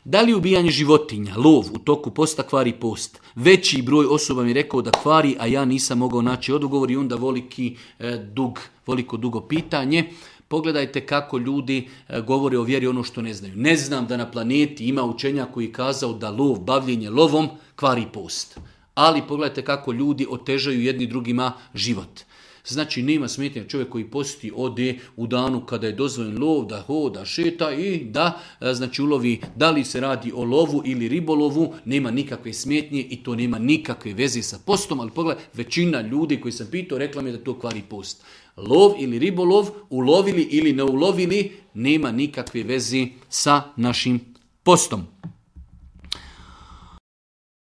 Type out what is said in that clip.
Da li ubijanje životinja, lov u toku posta kvari post? Veći broj osoba mi je rekao da kvari, a ja nisam mogao naći odgovor i onda veliko dugo pitanje. Pogledajte kako ljudi govore o vjeri ono što ne znaju. Ne znam da na planeti ima učenja koji je kazao da bavljenje lovom kvari post. Ali pogledajte kako ljudi otežaju jedni drugima život. Znači nema smetnja čovjek koji posti ode u danu kada je dozvoljen lov, da hoda, šeta i da ulovi, da li se radi o lovu ili ribolovu, nema nikakve smetnje i to nema nikakve veze sa postom, ali pogledaj, većina ljudi koji sam pitao rekla mi da to kvari post. Lov ili ribolov, ulovili ili ne ulovili, nema nikakve veze sa našim postom.